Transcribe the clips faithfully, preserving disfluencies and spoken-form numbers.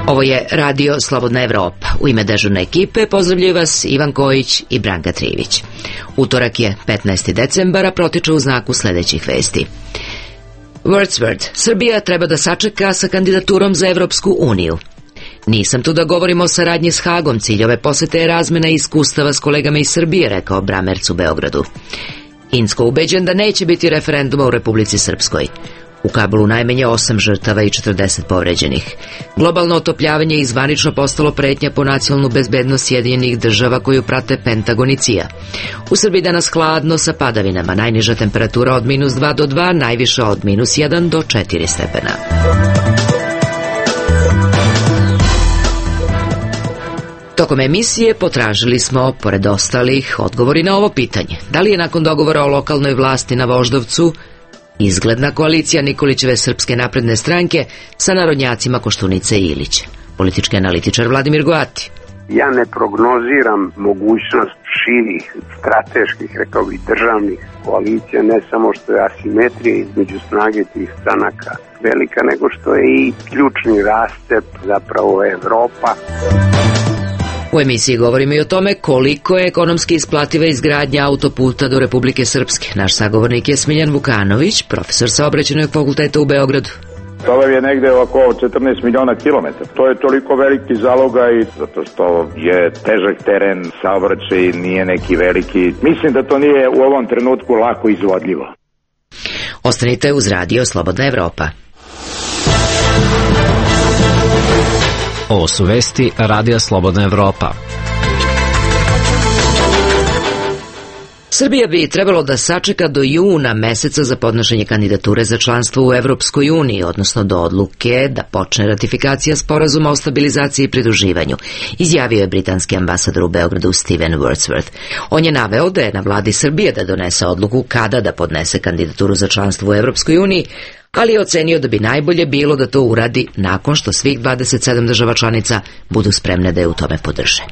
Ovo je Radio Slobodna Evropa. U ime dežurne ekipe pozdravljaju vas Ivan Kojić i Branka Trivić. Utorak je petnaesti decembar, a protiče u znaku sledećih vesti. Wordsworth. Srbija treba da sačeka sa kandidaturom za Evropsku uniju. Nisam tu da govorimo o saradnji s Hagom, cilj ove posete je razmena iskustava s kolegama iz Srbije, rekao Bramerc u Beogradu. Incko ubeđen da neće biti referenduma u Republici Srpskoj. U Kabulu najmanje osam žrtava i četrdeset povređenih. Globalno otopljavanje je zvanično postalo pretnja po nacionalnu bezbednost Sjedinjenih država koju prate Pentagon i C I A. U Srbiji danas hladno sa padavinama, najniža temperatura od minus dva do dva, najviša od minus jedan do četiri stepena. Tokom emisije potražili smo, pored ostalih, odgovori na ovo pitanje. Da li je nakon dogovora o lokalnoj vlasti na Voždovcu izgledna koalicija Nikolićeve Srpske napredne stranke sa narodnjacima Koštunice i Ilića? Politički analitičar Vladimir Goati. Ja ne prognoziram mogućnost širih, strateških, rekao bih, državnih koalicija, ne samo što je asimetrija između snage tih stranaka velika, nego što je i ključni rastep zapravo Evropa. U emisiji govorimo i o tome koliko je ekonomski isplativa izgradnja autoputa do Republike Srpske. Naš sagovornik je Smiljan Vukanović, profesor Saobraćajnog fakulteta u Beogradu. To je negde oko četrnaest miliona kilometara. To je toliko veliki zalogaj zato što je težak teren, saobraćaj nije neki veliki. Mislim da to nije u ovom trenutku lako izvodljivo. Ostanite uz Radio Slobodna Evropa. Ovo su vesti Radija Slobodna Evropa. Srbija bi trebalo da sačeka do juna meseca za podnošenje kandidature za članstvo u Evropskoj uniji, odnosno do odluke da počne ratifikacija sporazuma o stabilizaciji i pridruživanju, izjavio je britanski ambasador u Beogradu Steven Wordsworth. On je naveo da je na vladi Srbije da donese odluku kada da podnese kandidaturu za članstvo u Evropskoj uniji, ali je ocenio da bi najbolje bilo da to uradi nakon što svih dvadeset sedam država članica budu spremne da je u tome podrže.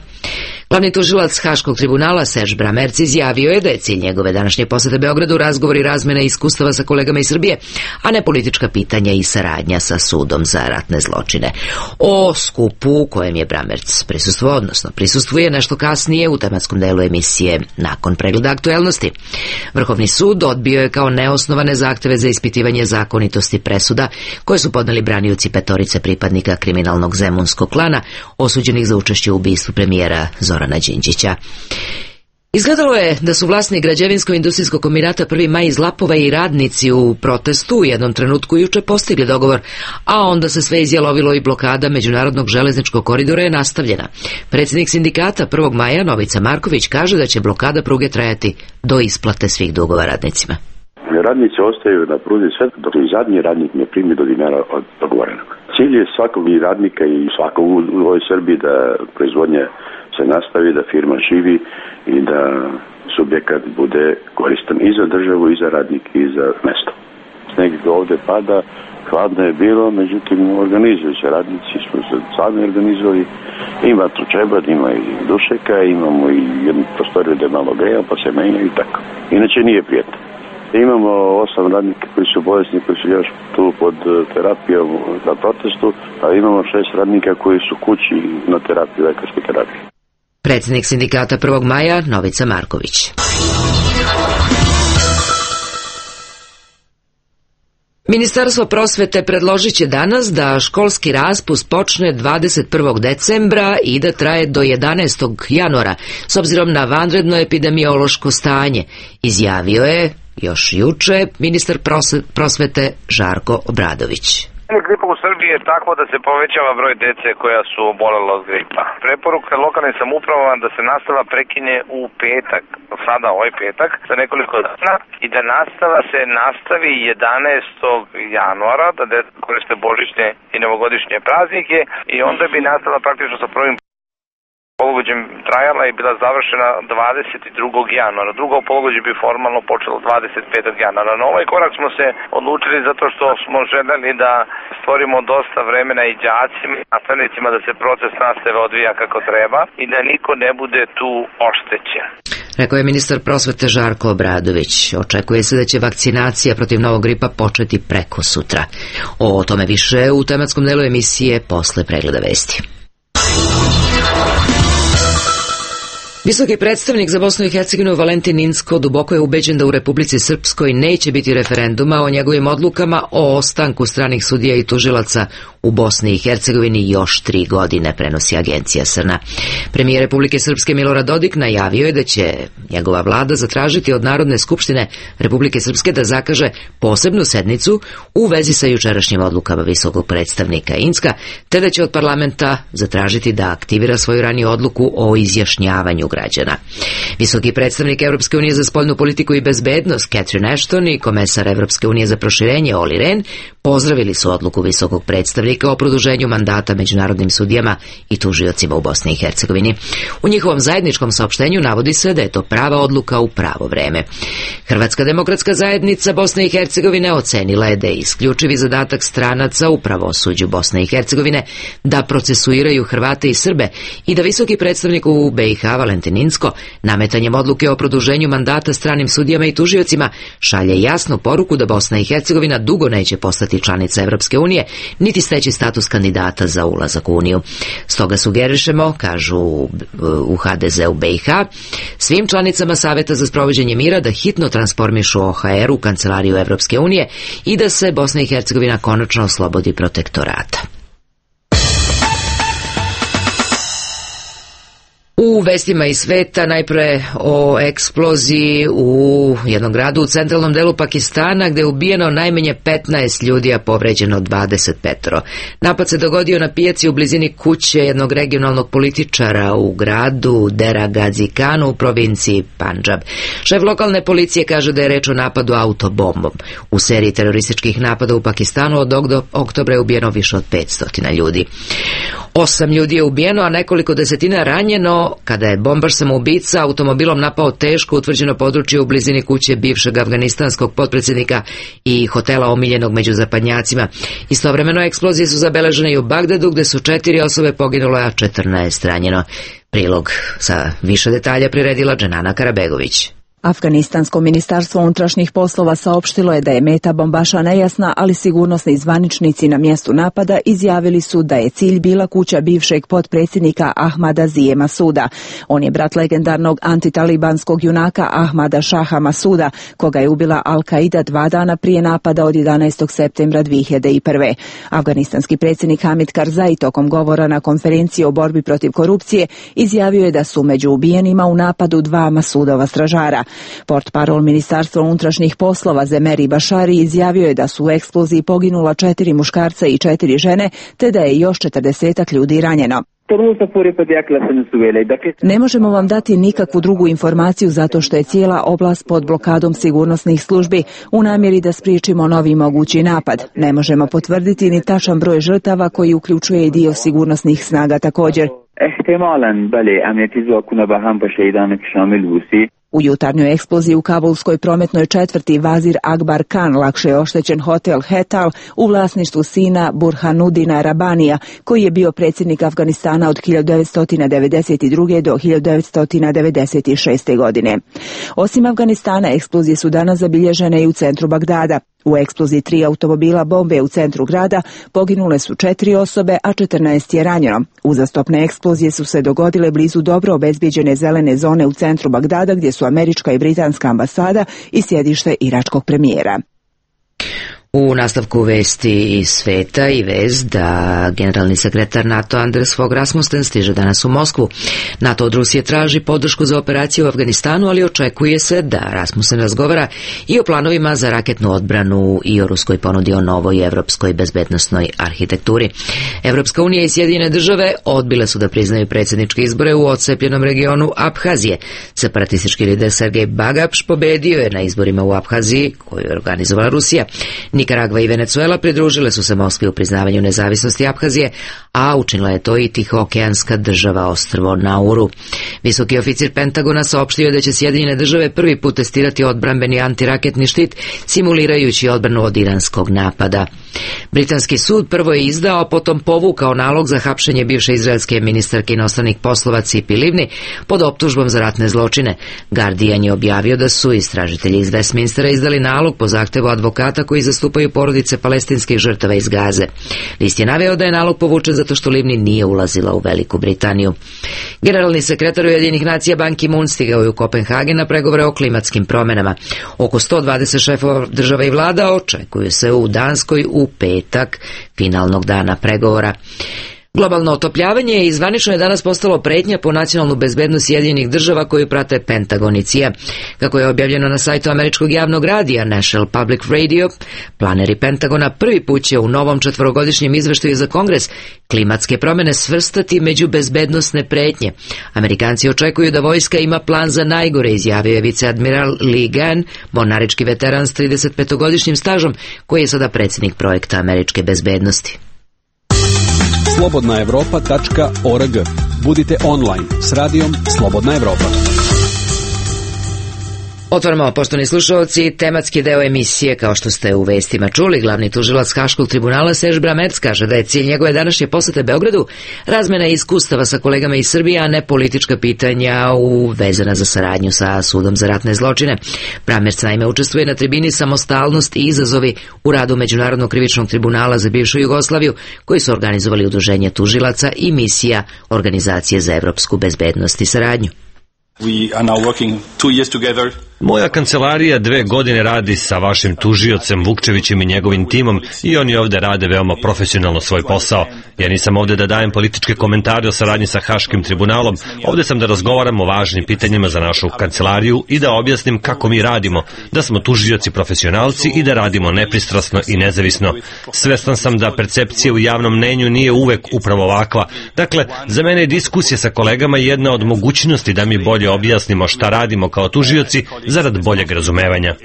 Glavni tužilac Haškog tribunala Serge Bramerc izjavio je da je cilj njegove današnje posete Beogradu razgovor i razmena iskustava sa kolegama iz Srbije, a ne politička pitanja i saradnja sa sudom za ratne zločine. O skupu u kojem je Bramerc prisustvovao, odnosno prisustvuje nešto kasnije u tematskom delu emisije nakon pregleda aktuelnosti. Vrhovni sud odbio je kao neosnovane zahteve za ispitivanje zakonitosti presuda koje su podneli branioci petorice pripadnika kriminalnog zemunskog klana osuđenih za učešće u ubistvu premijera Zorana Đinđića. Izgledalo je da su vlasni građevinsko-industrijskog kombinata Prvi maj iz Lapova i radnici u protestu u jednom trenutku juče postigli dogovor, a onda se sve izjalovilo i blokada međunarodnog železničkog koridora je nastavljena. Predsjednik sindikata Prvog maja Novica Marković kaže da će blokada pruge trajati do isplate svih dugova radnicima. Radnici ostaju na pruzi sve dok i zadnji radnik ne primi do dinara od dogovorenog. Cilj je svakog i radnika i svakog u ovoj Srbiji da proizvodnja se nastavi, da firma živi i da subjekat bude koristan i za državu, i za radnike, i za mesto. Sneg ovde pada, hladno je bilo, međutim organizuju se radnici, smo se sami organizovali. Ima tručebat, ima i dušeka, imamo i jednu prostoriju da je malo greja, pa se menjaju i tako. Inače nije prijatno. Imamo osam radnika koji su bolesni, koji su još tu pod terapijom na protestu, a imamo šest radnika koji su kući na terapiji, lekarskoj terapiji. Predsjednik sindikata Prvog maja Novica Marković. Ministarstvo prosvete predložit će danas da školski raspust počne dvadeset prvog decembra i da traje do jedanaestog januara, s obzirom na vanredno epidemiološko stanje, izjavio je još juče ministar prosvete Žarko Obradović. Gripa u Srbiji je tako da se povećava broj dece koja su obolela od gripa. Preporuka lokalnim samoupravama da se nastava prekine u petak, sada ovaj petak, za nekoliko dana i da nastava se nastavi jedanaestog januara, da deca koriste božićne i novogodišnje praznike i onda bi nastava praktično sa prvim polugođem trajala i bila završena dvadeset drugog januara. Drugo polugođe bi formalno počelo dvadeset petog januara. Na ovaj korak smo se odlučili zato što smo želeli da stvorimo dosta vremena i đacima i nastavnicima da se proces nastave odvija kako treba i da niko ne bude tu oštećen. rekao je ministar prosvete Žarko Obradović. Očekuje se da će vakcinacija protiv novog gripa početi preko sutra. O tome više u tematskom delu emisije posle pregleda vesti. Visoki predstavnik za Bosnu i Hercegovinu Valentin Inzko duboko je ubeđen da u Republici Srpskoj neće biti referenduma o njegovim odlukama o ostanku stranih sudija i tužilaca u Bosni i Hercegovini još tri godine, prenosi agencija S R N A. Premijer Republike Srpske Milorad Dodik najavio je da će njegova vlada zatražiti od Narodne skupštine Republike Srpske da zakaže posebnu sednicu u vezi sa jučerašnjim odlukama visokog predstavnika Inzka, te da će od parlamenta zatražiti da aktivira svoju raniju odluku o izjašnjavanju građana. Visoki predstavnik Evropske unije za spoljnu politiku i bezbednost Catherine Ashton i komesar Evropske unije za proširenje Olli Rehn pozdravili su odluku visokog predstavnika o produženju mandata međunarodnim sudijama i tužiocima u Bosni i Hercegovini. U njihovom zajedničkom saopštenju navodi se da je to prava odluka u pravo vreme. Hrvatska demokratska zajednica Bosne i Hercegovine ocenila je da je isključivi zadatak stranaca u pravosuđu Bosne i Hercegovine da procesuiraju Hrvate i Srbe i da visoki predstavnik u B i H Valentin Inzko nametanjem odluke o produženju mandata stranim sudijama i tužiocima šalje jasnu poruku da Bosna i Hercegovina dugo neće postati članica Evropske unije, niti steći status kandidata za ulazak u Uniju. Stoga sugerišemo, kažu u H D Z u B i H, svim članicama Saveta za sprovođenje mira da hitno transformišu O H R u kancelariju Evropske unije i da se Bosna i Hercegovina konačno oslobodi protektorata. U vestima iz sveta najpre o eksploziji u jednom gradu u centralnom delu Pakistana gde je ubijeno najmanje petnaest ljudi, a povređeno dvadeset pet. Napad se dogodio na pijaci u blizini kuće jednog regionalnog političara u gradu Dera Gazi Khanu u provinciji Pandžab. Šef lokalne policije kaže da je reč o napadu autobombom. U seriji terorističkih napada u Pakistanu od oktobra je ubijeno više od petsto ljudi. Osam ljudi je ubijeno, a nekoliko desetina ranjeno kada je bombaš samoubica automobilom napao teško utvrđeno područje u blizini kuće bivšeg afganistanskog potpredsjednika i hotela omiljenog među zapadnjacima. Istovremeno eksplozije su zabeležene i u Bagdadu gde su četiri osobe poginule, a četrnaest ranjeno. Prilog sa više detalja priredila Dženana Karabegović. Afganistansko ministarstvo unutrašnjih poslova saopštilo je da je meta bombaša nejasna, ali sigurnosni zvaničnici na mjestu napada izjavili su da je cilj bila kuća bivšeg potpredsjednika Ahmada Zije Masuda. On je brat legendarnog antitalibanskog junaka Ahmada Šaha Masuda, koga je ubila Al-Qaida dva dana prije napada od jedanaestog septembra dvije hiljade prve. Afganistanski predsjednik Hamid Karzai tokom govora na konferenciji o borbi protiv korupcije izjavio je da su među ubijenima u napadu dva Masudova stražara. Portparol Ministarstva unutrašnjih poslova Zemeri Bašari izjavio je da su u eksploziji poginula četiri muškarca i četiri žene, te da je još četrdesetak ljudi ranjeno. Ne možemo vam dati nikakvu drugu informaciju zato što je cijela oblast pod blokadom sigurnosnih službi u namjeri da spriječimo novi mogući napad. Ne možemo potvrditi ni tačan broj žrtava koji uključuje i dio sigurnosnih snaga također. U jutarnjoj eksploziji u kabulskoj prometnoj četvrti Vazir Akbar Khan lakše je oštećen hotel Hetal u vlasništvu sina Burhanudina Rabanija, koji je bio predsjednik Afganistana od hiljadu devetsto devedeset druge. do hiljadu devetsto devedeset šeste. godine. Osim Afganistana, eksplozije su danas zabilježene i u centru Bagdada. U eksploziji tri automobila bombe u centru grada poginule su četiri osobe, a četrnaest je ranjeno. Uzastopne eksplozije su se dogodile blizu dobro obezbijeđene zelene zone u centru Bagdada, gdje su američka i britanska ambasada i sjedište iračkog premijera. U nastavku vesti iz sveta i vest da generalni sekretar NATO Anders Fogh Rasmussen stiže danas u Moskvu. NATO od Rusije traži podršku za operaciju u Afganistanu, ali očekuje se da Rasmussen razgovara i o planovima za raketnu odbranu i o ruskoj ponudi o novoj evropskoj bezbednosnoj arhitekturi. Evropska unija i Sjedinjene države odbile su da priznaju predsjedničke izbore u odcepljenom regionu Abhazije. Separatistički lider Sergej Bagapš pobedio je na izborima u Abhaziji, koju je organizovala Rusija. Nikaragva i Venezuela pridružile su se Moskvi u priznavanju nezavisnosti Abhazije, a učinila je to i tihookeanska država ostrvo Nauru. Visoki oficir Pentagona saopštio da će Sjedinjene države prvi put testirati odbrambeni antiraketni štit, simulirajući odbranu od iranskog napada. Britanski sud prvo je izdao, a potom povukao nalog za hapšenje bivše izraelske ministarke inostranih poslova Cipi Livni pod optužbom za ratne zločine. Guardian je objavio da su istražitelji iz Westminstera izdali nalog po zahtevu advokata koji zastupaju porodice palestinskih žrtava iz Gaze. List je naveo da je nalog povučen zato što Livni nije ulazila u Veliku Britaniju. Generalni sekretar Ujedinjenih nacija Ban Ki-moon stigao je u Kopenhagen na pregovore o klimatskim promenama. Oko sto dvadeset šefova država i vlada očekuju se u Danskoj u petak finalnog dana pregovora. Globalno otopljavanje i zvanično je danas postalo pretnja po nacionalnu bezbednost Sjedinjenih država koju prate Pentagon i C I A. Kako je objavljeno na sajtu američkog javnog radija National Public Radio, planeri Pentagona prvi put će u novom četvorogodišnjem izveštaju za Kongres klimatske promene svrstati među bezbednosne pretnje. Amerikanci očekuju da vojska ima plan za najgore, izjavio je viceadmiral Lee Gann, mornarički veteran s tridesetpetogodišnjim stažom koji je sada predsjednik projekta američke bezbednosti. slobodna evropa tačka org. Budite online s radijom Slobodna Evropa. Otvaramo, poštovani slušalci, tematski deo emisije. Kao što ste u vestima čuli, glavni tužilac Haškog tribunala Serge Bramertz kaže da je cilj njegove današnje posete Beogradu razmena iskustava sa kolegama iz Srbije, a ne politička pitanja u vezana za saradnju sa sudom za ratne zločine. Bramertz naime učestvuje na tribini Samostalnost i izazovi u radu Međunarodnog krivičnog tribunala za bivšu Jugoslaviju, koji su organizovali udruženje tužilaca i misija Organizacije za evropsku bezbednost i saradnju. We are now working two years together. Moja kancelarija dve godine radi sa vašim tužiocem Vukčevićem i njegovim timom i oni ovde rade veoma profesionalno svoj posao. Ja nisam ovde da dajem političke komentare o saradnji sa Haškim tribunalom, ovde sam da razgovaram o važnim pitanjima za našu kancelariju i da objasnim kako mi radimo, da smo tužioci profesionalci i da radimo nepristrasno i nezavisno. Svestan sam da percepcija u javnom mnenju nije uvek upravo ovakva. Dakle, za mene je diskusija sa kolegama jedna od mogućnosti da mi bolje objasnimo šta radimo kao tužioci zarad boljeg razumevanja.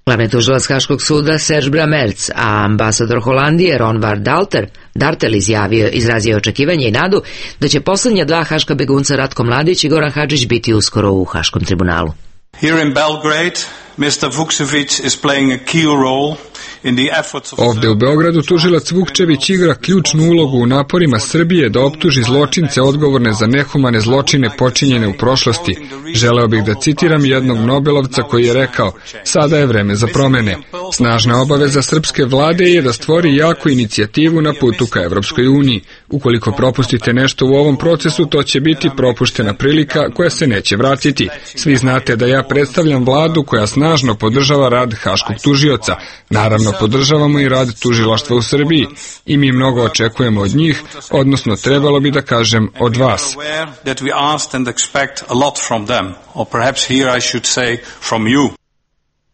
Glavni tužilac Haškog suda Serge Bramertz, a ambasador Holandije Ron van Dalter, Dartel izjavio, izrazio očekivanje i nadu da će poslednja dva haška begunca Ratko Mladić i Goran Hadžić biti uskoro u Haškom tribunalu. Here in Belgrade, mister Vukčević is playing a key role. Ovde u Beogradu tužilac Vukčević igra ključnu ulogu u naporima Srbije da optuži zločince odgovorne za nehumane zločine počinjene u prošlosti. Želeo bih da citiram jednog Nobelovca koji je rekao: sada je vreme za promene. Snažna obaveza srpske vlade je da stvori jaku inicijativu na putu ka Evropskoj uniji. Ukoliko propustite nešto u ovom procesu, to će biti propuštena prilika koja se neće vratiti. Svi znate da ja predstavljam vladu koja snažno podržava rad Haškog tužioca. Naravno, podržavamo i rad tužilaštva u Srbiji i mi mnogo očekujemo od njih, odnosno trebalo bi da kažem od vas.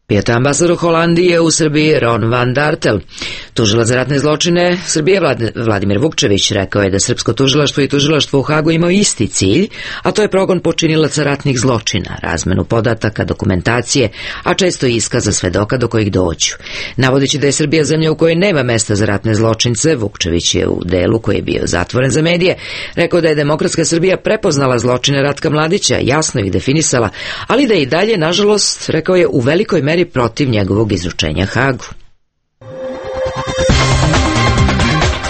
Bio je ambasador Holandije u Srbiji Ron van Dartel. Tužilac za ratne zločine Srbije Vladimir Vukčević rekao je da srpsko tužilaštvo i tužilaštvo u Hagu imaju isti cilj, a to je progon počinilaca ratnih zločina, razmenu podataka, dokumentacije, a često i iskaza svedoka do kojih dođu. Navodeći da je Srbija zemlja u kojoj nema mesta za ratne zločince, Vukčević je u delu koji je bio zatvoren za medije rekao da je demokratska Srbija prepoznala zločine Ratka Mladića, jasno ih definisala, ali da je i dalje, nažalost, rekao je, u velikoj meri protiv njegovog izručenja Hagu.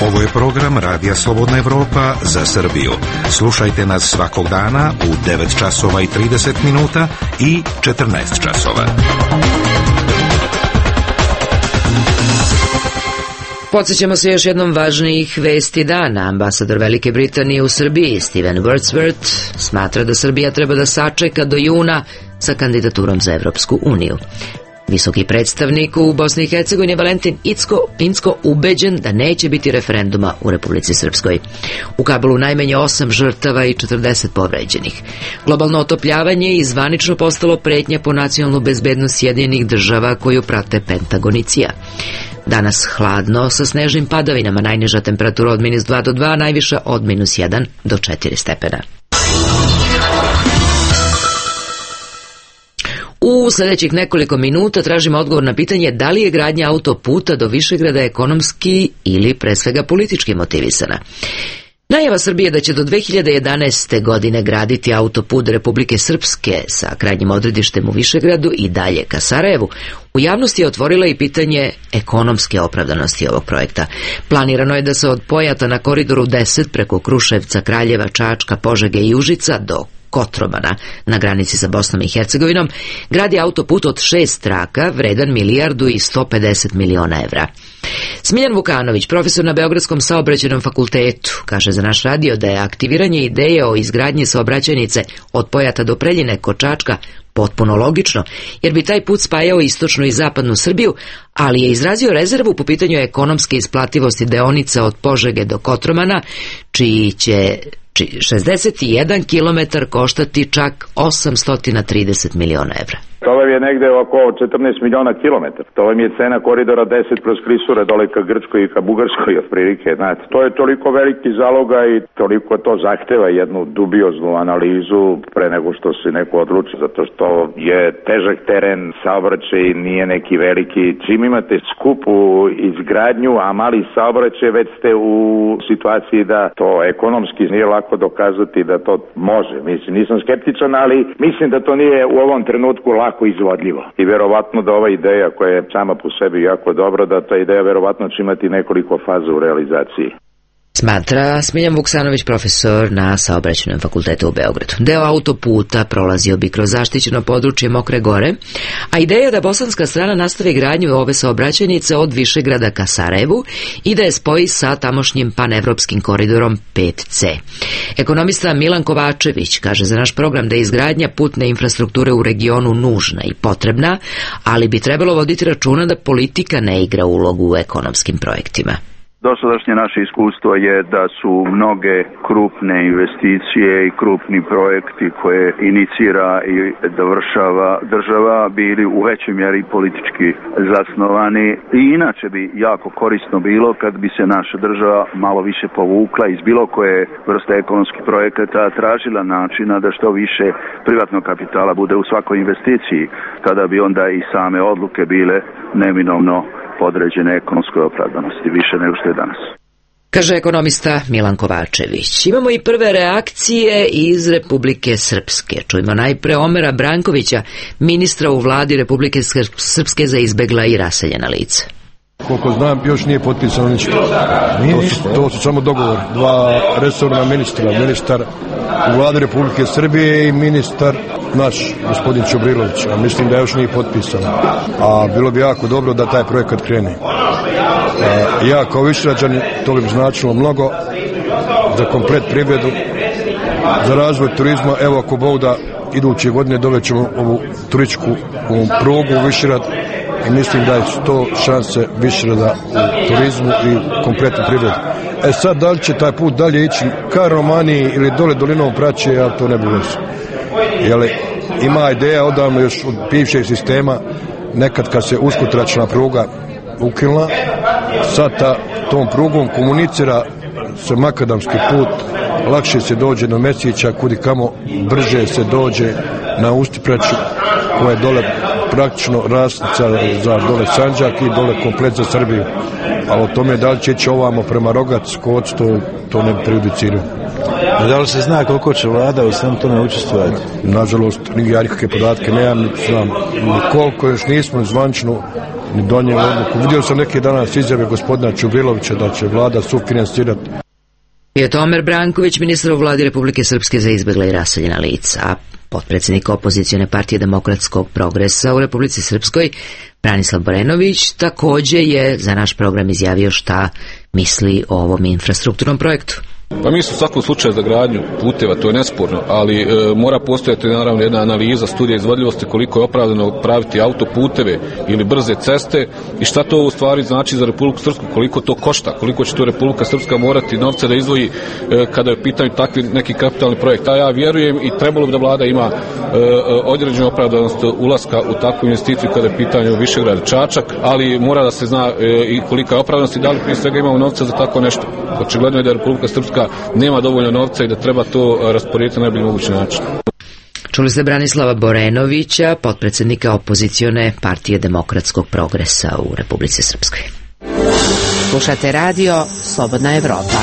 Ovo je program Radija Slobodna Evropa za Srbiju. Slušajte nas svakog dana u devet časova i trideset minuta i četrnaest časova. Podsjećamo se još jednom važnijih vesti dana. Ambasador Velike Britanije u Srbiji Steven Wordsworth smatra da Srbija treba da sačeka do juna sa kandidaturom za Evropsku uniju. Visoki predstavnik u Bosni i Hercegovini Valentin Incko, Incko ubeđen da neće biti referenduma u Republici Srpskoj. U Kabulu najmanje osam žrtava i četrdeset povređenih. Globalno otopljavanje je zvanično postalo pretnja po nacionalnu bezbednost Sjedinjenih država koju prate Pentagon i C I A. Danas hladno sa snežnim padavinama, najniža temperatura od minus dva do dva, najviša od minus jedan do četiri stepena. U sljedećih nekoliko minuta tražimo odgovor na pitanje da li je gradnja autoputa do Višegrada ekonomski ili pre svega politički motivisana. Najava Srbije da će do dve hiljade jedanaeste. godine graditi autoput Republike Srpske sa krajnjim odredištem u Višegradu i dalje ka Sarajevu, u javnosti je otvorila i pitanje ekonomske opravdanosti ovog projekta. Planirano je da se od Pojata na koridoru deset preko Kruševca, Kraljeva, Čačka, Požege i Užica do Kotromana na granici sa Bosnom i Hercegovinom gradi autoput od šest traka vredan milijardu i sto pedeset miliona evra. Smiljan Vukanović, profesor na Beogradskom saobraćajnom fakultetu, kaže za naš radio da je aktiviranje ideje o izgradnji saobraćajnice od Pojata do Preljine kod Čačka potpuno logično, jer bi taj put spajao istočnu i zapadnu Srbiju, ali je izrazio rezervu po pitanju ekonomske isplativosti deonica od Požege do Kotromana, čiji će šezdeset jedan kilometar koštati čak osamsto trideset miliona evra. To vam je negde oko četrnaest miliona kilometara. To vam je cena koridora deset kroz Klisure dole ka Grčkoj i ka Bugarskoj otprilike. Znate, to je toliko veliki zaloga i toliko to zahteva jednu dubioznu analizu pre nego što se neko odluči, zato što je težak teren, saobraćaj nije neki veliki. Čim imate skupu izgradnju, a mali saobraćaj, već ste u situaciji da to ekonomski nije lako dokazati da to može. Mislim, nisam skeptičan, ali mislim da to nije u ovom trenutku lako izvodljivo. I verovatno da ova ideja koja je sama po sebi jako dobra, da ta ideja verovatno će imati nekoliko faza u realizaciji. Smatra Smiljan Vuksanović, profesor na Saobraćajnom fakultetu u Beogradu. Deo autoputa prolazio bi kroz zaštićeno područje Mokre Gore, a ideja je da bosanska strana nastavi gradnju ove saobraćajnice od Višegrada ka Sarajevu i da je spoji sa tamošnjim panevropskim koridorom pet ce. Ekonomista Milan Kovačević kaže za naš program da je izgradnja putne infrastrukture u regionu nužna i potrebna, ali bi trebalo voditi računa da politika ne igra ulogu u ekonomskim projektima. Dosadašnje naše iskustvo je da su mnoge krupne investicije i krupni projekti koje inicira i dovršava država bili u većoj mjeri politički zasnovani i inače bi jako korisno bilo kad bi se naša država malo više povukla iz bilo koje vrste ekonomskih projekata, tražila načina da što više privatnog kapitala bude u svakoj investiciji, tada bi onda i same odluke bile neminovno podređene ekonomskoj opravdanosti, više nego što je danas. Kaže ekonomista Milan Kovačević. Imamo i prve reakcije iz Republike Srpske. Čujemo najpre Omera Brankovića, ministra u vladi Republike Srpske za izbegla i raseljena lica. Koliko znam, još nije potpisano ništa. To su, to su samo dogovor. Dva resorna ministra, ministar u vladi Republike Srbije i ministar naš, gospodin Čobrilović, a mislim da još nije potpisano. A bilo bi jako dobro da taj projekat krene. A, ja kao Višegrađanin, to bi značilo mnogo za komplet privredu, za razvoj turizma. Evo ako Bog da iduće godine dovećemo ovu turističku ovu prugu u Višegrad i mislim da je to šanse Višegrada u turizmu i kompletnu privredu. E sad, da li će taj put dalje ići ka Romaniji ili dole dolinom Praće, ja to ne bih već. Jer ima ideja odavno još od bivšeg sistema, nekad kad se uskotračna pruga ukinula, sad ta, tom prugom komunicira se makadamski put, lakše se dođe do Mesića, kudi kamo brže se dođe na Ustipraću, koja je dole praktično rasnica za dole Sandžak i dole komplet za Srbiju. A o tome da li će ići ovamo prema Rogac, Koc, to, to ne prejudiciraju. A da li se zna koliko će vlada u svem tome učestvovati? Nažalost, ja nikakve podatke nemam, ni znam ni koliko, još nismo zvanično ni donijeli odluku. Vidio sam neke danas izjave gospodina Čubrilovića da će vlada sufinansirati. Je to Omer Branković, ministar u vladi Republike Srpske za izbegla i raseljena lica, a potpredsjednik opozicione partije Demokratskog progresa u Republici Srpskoj, Branislav Borenović, također je za naš program izjavio šta misli o ovom infrastrukturnom projektu. Pa mi smo u svakom slučaju za gradnju puteva, to je nesporno, ali e, mora postojati naravno jedna analiza, studija izvodljivosti koliko je opravdano praviti autoputeve ili brze ceste i šta to u stvari znači za Republiku Srpsku, koliko to košta, koliko će to Republika Srpska morati novce da izdvoji e, kada je u pitanju takvi neki kapitalni projekt. A ja vjerujem i trebalo bi da vlada ima e, određenu opravdanost ulaska u takvu investiciju kada je u pitanju Višegrad Čačak, ali mora da se zna e, i kolika je opravdanost i da li prije svega imamo novca za tako nešto. Očigledno je da Republika Srpska nema dovoljno novca i da treba to rasporediti na najbolji mogući način. Čuli ste Branislava Borenovića, potpredsjednika opozicione partije Demokratskog progresa u Republici Srpskoj. Slušate radio Slobodna Evropa.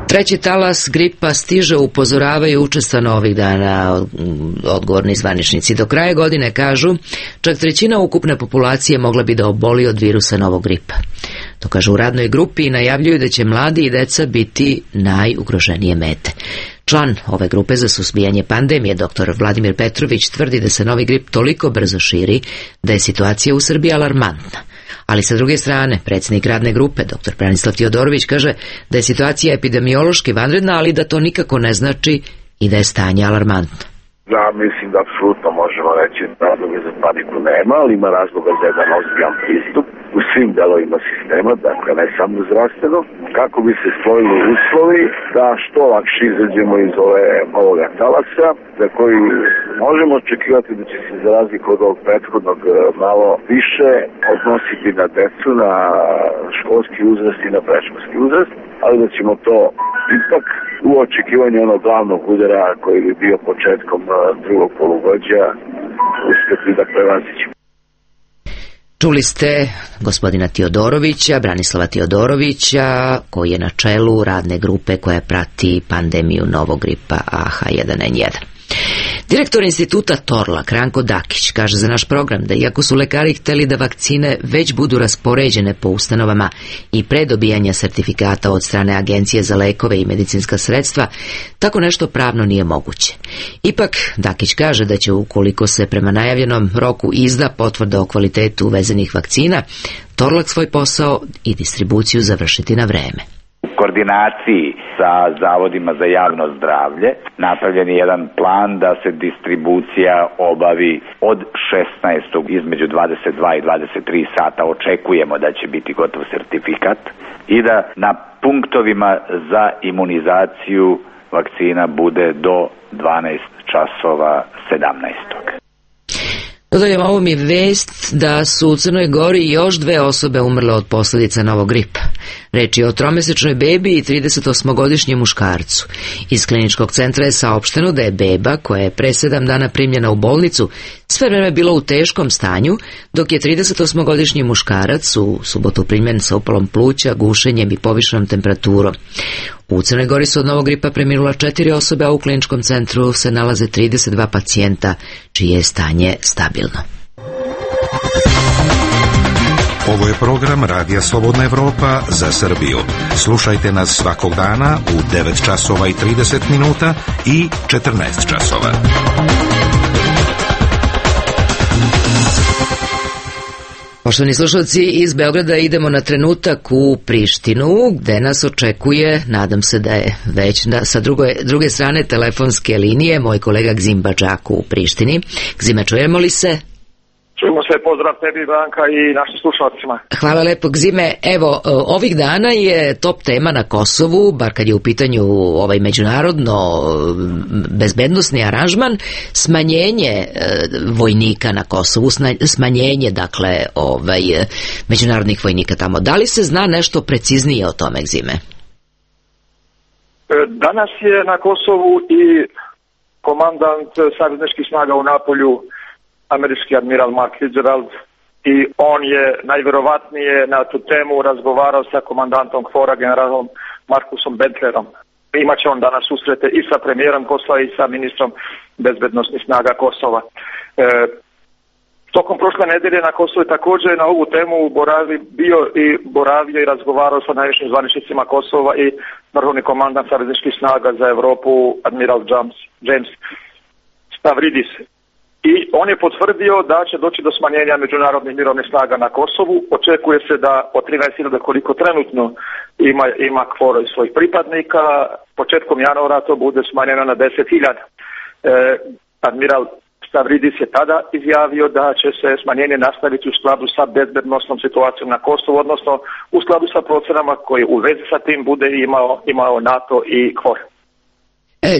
Treći talas gripa stiže, upozoravaju učestano ovih dana odgovorni zvaničnici. Do kraja godine, kažu, čak trećina ukupne populacije mogla bi da oboli od virusa novog gripa. To kažu u radnoj grupi i najavljuju da će mladi i deca biti najugroženije mete. Član ove grupe za suzbijanje pandemije, dr Vladimir Petrović, tvrdi da se novi grip toliko brzo širi da je situacija u Srbiji alarmantna. Ali sa druge strane, predsjednik radne grupe, dr Branislav Tiodorović, kaže da je situacija epidemiološki vanredna, ali da to nikako ne znači i da je stanje alarmantno. Ja mislim da apsolutno možemo reći razloga za paniku nema, ali ima razloga za jedan ozbiljan pristup u svim delovima sistema, dakle ne samo zdravstveno, kako bi se stvorili uslovi da što lakše izađemo iz ove, ovoga talasa, za koji možemo očekivati da će se za razliku od ovog prethodnog malo više odnositi na decu, na školski uzrast i na predškolski uzrast, ali da ćemo to ipak u očekivanju onog glavnog udara koji bi bio početkom drugog polugođa uspjeti da prevazićemo. Čuli ste gospodina Tiodorovića, Branislava Tiodorovića, koji je na čelu radne grupe koja prati pandemiju novog gripa A H jedan N jedan. Direktor instituta Torlak, Ranko Dakić, kaže za naš program da iako su lekari hteli da vakcine već budu raspoređene po ustanovama i pre dobijanja sertifikata od strane Agencije za lekove i medicinska sredstva, tako nešto pravno nije moguće. Ipak, Dakić kaže da će ukoliko se prema najavljenom roku izda potvrda o kvalitetu uvezenih vakcina, Torlak svoj posao i distribuciju završiti na vreme. U koordinaciji sa zavodima za javno zdravlje napravljen je jedan plan da se distribucija obavi od šesnaestog između dvadeset dva i dvadeset tri sata. Očekujemo da će biti gotov sertifikat i da na punktovima za imunizaciju vakcina bude do dvanaest časova sedamnaestog Dodajem ovom i vest da su u Crnoj Gori još dve osobe umrle od posljedica novog gripa. Reč je o tromesečnoj bebi i tridesetosmogodišnjem muškarcu. Iz kliničkog centra je saopšteno da je beba, koja je pre sedam dana primljena u bolnicu, sve vreme bila u teškom stanju, dok je tridesetosmogodišnji muškarac u subotu primljen sa upalom pluća, gušenjem i povišenom temperaturom. U Crnoj Gori su od novog gripa preminula četiri osobe, a u kliničkom centru se nalaze trideset dva pacijenta, čije je stanje stabilno. Ovo je program Radija Slobodna Evropa za Srbiju. Slušajte nas svakog dana u devet časova i trideset minuta i četrnaest časova. Poštovani slušalci, iz Beograda idemo na trenutak u Prištinu, gde nas očekuje, nadam se da je već da, sa druge, druge strane telefonske linije, moj kolega Gzim Badžaku u Prištini. Gzime, čujemo li se? Čujemo se, pozdrav tebi, Branka, i našim slušalcima. Hvala lepo, Gzime. Evo, ovih dana je top tema na Kosovu, bar kad je u pitanju ovaj međunarodno bezbednosni aranžman, smanjenje e, vojnika na Kosovu, smanjenje, dakle, ovaj, međunarodnih vojnika tamo. Da li se zna nešto preciznije o tome, Gzime? Danas je na Kosovu i komandant savezničkih snaga u Napolju, američki admiral Mark Fitzgerald, i on je najverovatnije na tu temu razgovarao sa komandantom KFOR-a, generalom Markusom Bentlerom. Imaće on danas susrete i sa premijerom Kosova i sa ministrom bezbednosnih snaga Kosova. E, tokom prošle nedelje na Kosovu je također na ovu temu boravi, bio i boravio i razgovarao sa najvišim zvaničnicima Kosova i vrhovni komandant savezničkih snaga za Europu, admiral James, James Stavridis. I on je potvrdio da će doći do smanjenja međunarodnih mirovnih snaga na Kosovu. Očekuje se da od trinaest hiljada koliko trenutno ima, ima KFOR i svojih pripadnika, početkom januara to bude smanjeno na deset hiljada. E, admiral Stavridis je tada izjavio da će se smanjenje nastaviti u skladu sa bezbednosnom situacijom na Kosovu, odnosno u skladu sa procenama koje u vezi sa tim bude imao, imao NATO i KFOR.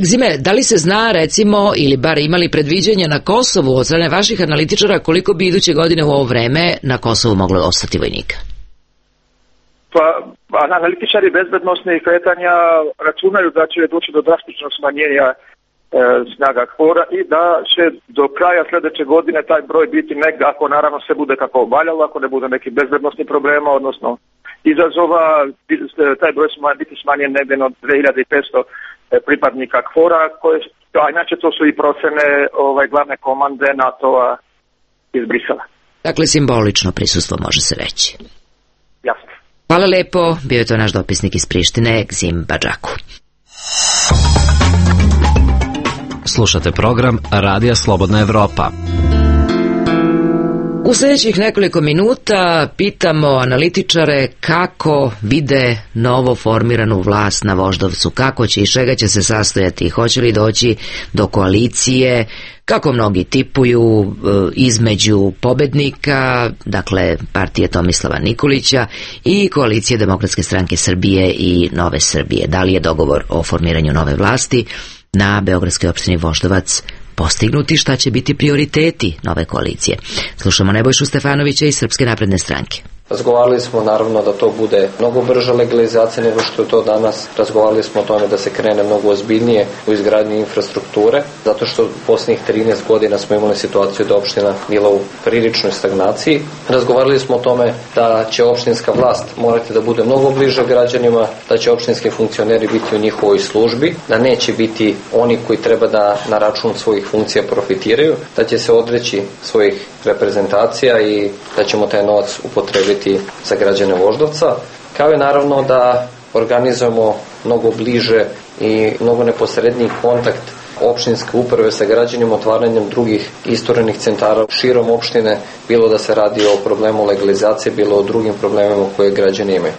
Gzime, da li se zna, recimo, ili bar imali predviđanja na Kosovu od strane vaših analitičara koliko bi iduće godine u ovo vreme na Kosovu moglo ostati vojnika? Pa, analitičari bezbednosnih kretanja računaju da će doći do drastičnog smanjenja e, snaga KFOR-a i da će do kraja sljedeće godine taj broj biti negdje, ako naravno sve bude kako valjalo, ako ne bude nekih bezbednosnih problema, odnosno izazova, taj broj će biti smanjen negdje od dve hiljade petsto pripadnika kvora, koje, a inače to su i procene ovaj, glavne komande NATO-a iz Brisela. Dakle, simbolično prisustvo može se reći. Jasno. Hvala lepo, bio je to naš dopisnik iz Prištine, Gzim Badžaku. Slušate program Radija Slobodna Evropa. U sljedećih nekoliko minuta pitamo analitičare kako vide novo formiranu vlast na Voždovcu, kako će i čega će se sastojati, hoće li doći do koalicije, kako mnogi tipuju između pobednika, dakle partije Tomislava Nikolića i koalicije Demokratske stranke Srbije i Nove Srbije. Da li je dogovor o formiranju nove vlasti na beogradskoj opštini Voždovac postignuti, šta će biti prioriteti nove koalicije? Slušamo Nebojšu Stefanovića iz Srpske napredne stranke. Razgovarali smo naravno da to bude mnogo brža legalizacija nego što je to danas. Razgovarali smo o tome da se krene mnogo ozbiljnije u izgradnji infrastrukture, zato što u posljednjih trinaest godina smo imali situaciju da opština bila u priličnoj stagnaciji. Razgovarali smo o tome da će opštinska vlast morati da bude mnogo bliže građanima, da će opštinski funkcioneri biti u njihovoj službi, da neće biti oni koji treba da na račun svojih funkcija profitiraju, da će se odreći svojih reprezentacija i da ćemo taj novac upotrebiti za građane Voždovca, kao i naravno da organizujemo mnogo bliže i mnogo neposredniji kontakt opštinske uprave sa građanima, otvaranjem drugih isturenih centara širom opštine, bilo da se radi o problemu legalizacije, bilo o drugim problemima koje građani imaju.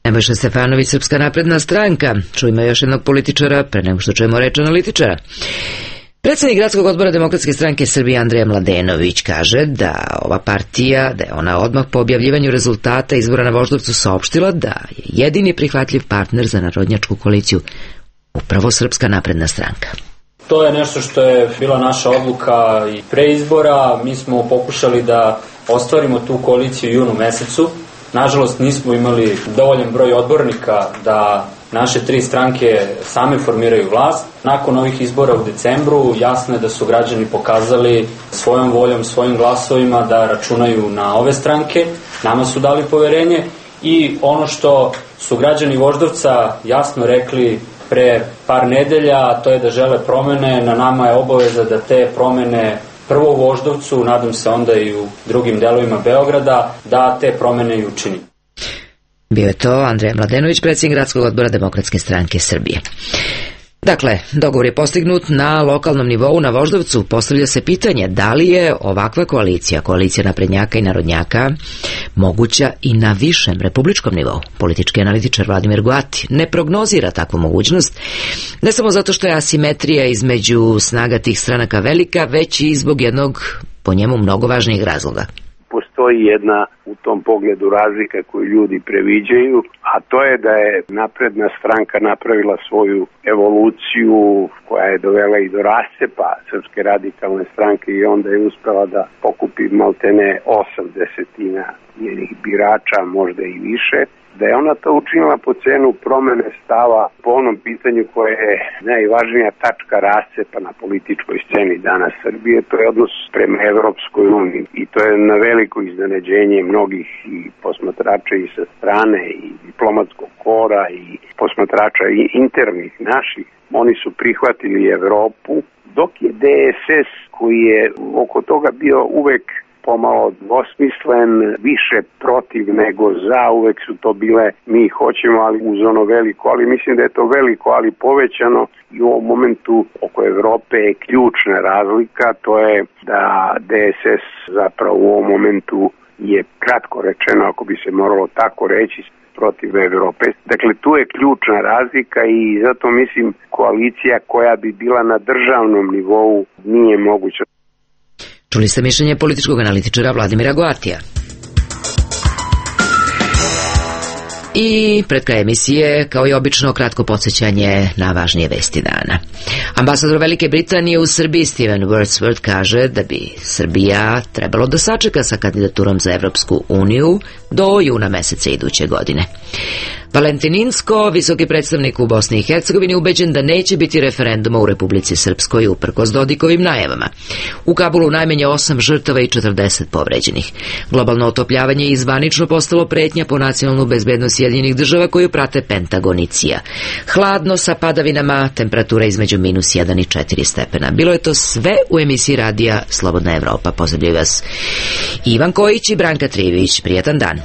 Nebojša Stefanović, Srpska napredna stranka. Čujemo još jednog političara pre nego što čujemo reč analitičara. Predsjednik gradskog odbora Demokratske stranke Srbije Andrija Mladenović kaže da ova partija, da je ona odmah po objavljivanju rezultata izbora na Voždovcu saopštila da je jedini prihvatljiv partner za narodnjačku koaliciju upravo Srpska napredna stranka. To je nešto što je bila naša odluka i pre izbora. Mi smo pokušali da ostvarimo tu koaliciju u junu mesecu. Nažalost, nismo imali dovoljan broj odbornika da naše tri stranke same formiraju vlast. Nakon ovih izbora u decembru jasno je da su građani pokazali svojom voljom, svojim glasovima da računaju na ove stranke. Nama su dali poverenje i ono što su građani Voždovca jasno rekli pre par nedelja, to je da žele promene. Na nama je obaveza da te promene prvo u Voždovcu, nadam se onda i u drugim delovima Beograda, da te promene i učinimo. Bio je to Andrija Mladenović, predsjednik gradskog odbora Demokratske stranke Srbije. Dakle, dogovor je postignut na lokalnom nivou na Voždovcu. Postavlja se pitanje da li je ovakva koalicija, koalicija naprednjaka i narodnjaka, moguća i na višem republičkom nivou. Politički analitičar Vladimir Goati ne prognozira takvu mogućnost, ne samo zato što je asimetrija između snaga tih stranaka velika, već i zbog jednog, po njemu, mnogo važnijeg razloga. Postoji jedna u tom pogledu razlika koju ljudi previđaju, a to je da je napredna stranka napravila svoju evoluciju koja je dovela i do rascepa Srpske radikalne stranke i onda je uspela da pokupi maltene osam desetina njenih birača, možda i više. Da je ona to učinila po cenu promene stava po onom pitanju koje je najvažnija tačka rascepa na političkoj sceni danas Srbije, to je odnos prema Evropskoj uniji. I to je na veliko iznenađenje mnogih i posmatrača i sa strane i diplomatskog kora i posmatrača i internih naših. Oni su prihvatili Evropu, dok je D S S koji je oko toga bio uvek pomalo dvosmislen, više protiv nego za, uvek su to bile mi hoćemo, ali uz ono veliko, ali mislim da je to veliko, ali povećano i u ovom momentu oko Evrope je ključna razlika, to je da D S S zapravo u ovom momentu je kratko rečeno, ako bi se moralo tako reći, protiv Evrope. Dakle, tu je ključna razlika i zato mislim koalicija koja bi bila na državnom nivou nije moguća. Čuli ste mišljenje političkog analitičara Vladimira Goatija. I pred kraj emisije, kao i obično, kratko podsjećanje na važnije vesti dana. Ambasador Velike Britanije u Srbiji Steven Wordsworth kaže da bi Srbija trebalo da sačeka sa kandidaturom za Evropsku uniju do juna meseca iduće godine. Valentin Inzko, visoki predstavnik u Bosni i Hercegovini, ubeđen da neće biti referenduma u Republici Srpskoj uprkos Dodikovim najavama. U Kabulu najmanje osam žrtava i četrdeset povređenih. Globalno otopljavanje je zvanično postalo pretnja po nacionalnu bezbednost Sjedinjenih država koju prate Pentagon i C I A. Hladno sa padavinama, temperatura između minus jedan i četiri stepena. Bilo je to sve u emisiji radija Slobodna Evropa. Pozdravljaju vas Ivan Kojić i Branka Trivić. Prijatan dan.